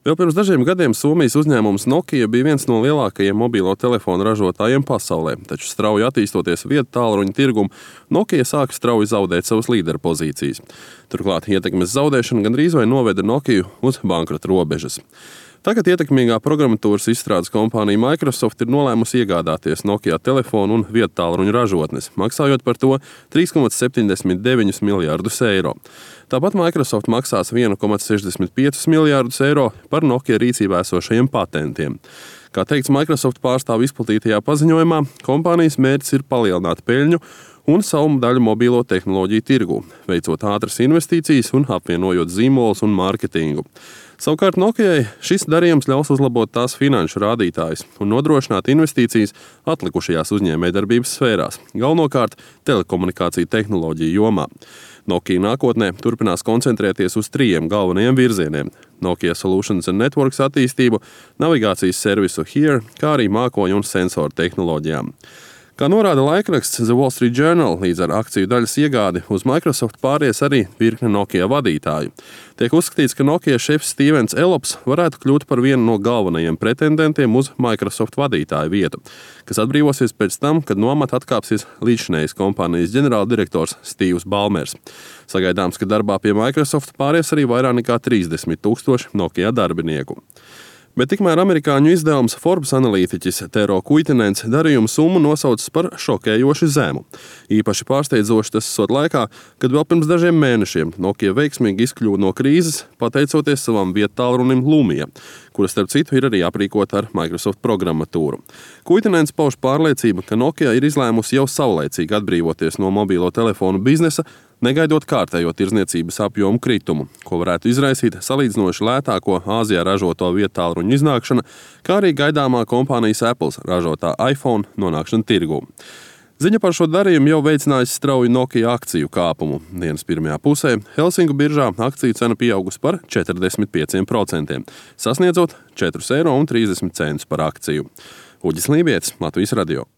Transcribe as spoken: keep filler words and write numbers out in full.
Vēl pirms dažiem gadiem Somijas uzņēmums Nokia bija viens no lielākajiem mobilo telefonu ražotājiem pasaulē, taču strauji attīstoties viedtālruņa tirgumu, Nokia sāka strauji zaudēt savas līderpozīcijas. Turklāt ietekmes zaudēšana gandrīz vai noveda Nokiju uz bankrota robežas. Tagad ietekmīgā programmatūras izstrādes kompānija Microsoft ir nolēmusi iegādāties Nokia telefonu un viedtālruņa ražotnes, maksājot par to trīs komats septiņdesmit deviņus miljārdus eiro. Tāpat Microsoft maksās viens komats sešdesmit piecus miljārdus eiro par Nokia rīcībā esošajiem patentiem. Kā teikts Microsoft pārstāvu izplatītajā paziņojumā, kompānijas mērķis ir palielināt peļņu un savu daļu mobilo tehnoloģiju tirgū, veicot ātras investīcijas un apvienojot zīmolus un mārketingu. Savukārt Nokijai šis darījums ļaus uzlabot tās finanšu rādītājus un nodrošināt investīcijas atlikušajās uzņēmējdarbības sfērās, galvenokārt telekomunikāciju tehnoloģiju jomā. Nokia nākotnē turpinās koncentrēties uz trījiem galvenajiem virzieniem – Nokia Solutions and Networks attīstību, navigācijas servisu Here, kā arī mākoņu un sensoru tehnoloģijām. Kā norāda laikraksts The Wall Street Journal, līdz ar akciju daļas iegādi uz Microsoft pāries arī virkne Nokia vadītāju. Tiek uzskatīts, ka Nokia šefs Stevens Ellops varētu kļūt par vienu no galvenajiem pretendentiem uz Microsoft vadītāju vietu, kas atbrīvosies pēc tam, kad no amata atkāpsies līdzinējais kompānijas ģenerāldirektors Stīvs Balmers. Sagaidāms, ka darbā pie Microsoft pāries arī vairāk nekā trīsdesmit tūkstoši Nokia darbinieku. Bet tikmēr amerikāņu izdevums Forbes analītiķis Tero Kuitenens darījumu summu nosaucis par šokējoši zemu. Īpaši pārsteidzoši tas esot laikā, kad vēl pirms dažiem mēnešiem Nokia veiksmīgi izkļuva no krīzes, pateicoties savam viedtālrunim Lumia, kura starp citu ir arī aprīkota ar Microsoft programmatūru. Kuitenens pauž pārliecību, ka Nokia ir izlēmusi jau saulaicīgi atbrīvoties no mobilo telefonu biznesa, negaidot kārtējo tirdzniecības apjomu kritumu, ko varētu izraisīt salīdzinoši lētāko Āzijā ražoto viedtālruņu iznākšana, kā arī gaidāmā kompānijas Apple ražotā iPhone nonākšana tirgū. Ziņa par šo darījumu jau veicinājusi strauju Nokia akciju kāpumu. Dienas pirmajā pusē Helsinku biržā akciju cena pieaugusi par četrdesmit pieciem procentiem, sasniedzot četri eiro un trīsdesmit centus par akciju. Uģis Lībietis, Latvijas radio.